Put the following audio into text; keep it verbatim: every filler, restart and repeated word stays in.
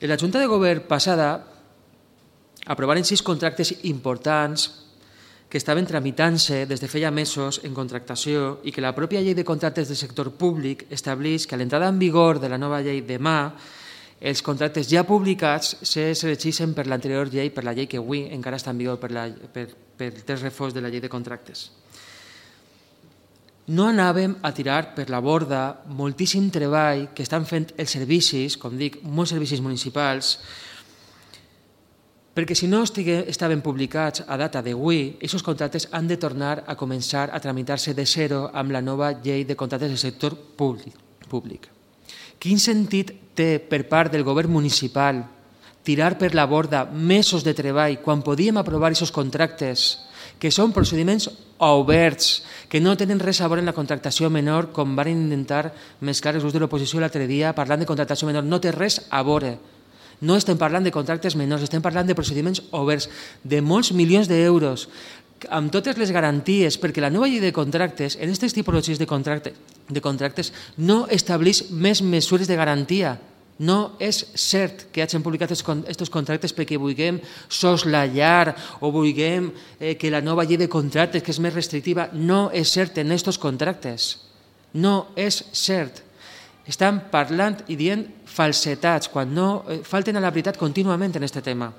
En la Junta de Govern passada aprovaren sis contractes importants que estaven tramitant-se des de feia mesos en contractació i que la pròpia llei de contractes del sector públic estableix que a l'entrada en vigor de la nova llei demà els contractes ja publicats se seleccissin per l'anterior llei, per la llei que avui encara està en vigor per, la, per, per el text refós de la llei de contractes. No anàvem a tirar per la borda moltíssim treball que estan fent els servicis, com dic, molts servicis municipals, perquè si no estaven publicats a data d'avui, aquests contractes han de tornar a començar a tramitar-se de zero amb la nova llei de contractes del sector públic. Quin sentit té per part del govern municipal tirar per la borda mesos de treball quan podíem aprovar aquests contractes que són procediments oberts, que no tenen res a veure amb la contractació menor, com van intentar mesclar els grups de l'oposició l'altre dia parlant de contractació menor. No té res a veure. No estem parlant de contractes menors, estem parlant de procediments oberts, de molts milions d'euros, amb totes les garanties, perquè la nova llei de contractes, en aquestes tipologies de contractes, de contractes no estableix més mesures de garantia. No és cert que hagin publicat aquests contractes perquè vulguem soslayar o vulguem que la nova llei de contractes, que és més restrictiva, no és cert en aquests contractes. No és cert. Estan parlant i dient falsetats, quan no falten a la veritat contínuament en aquest tema.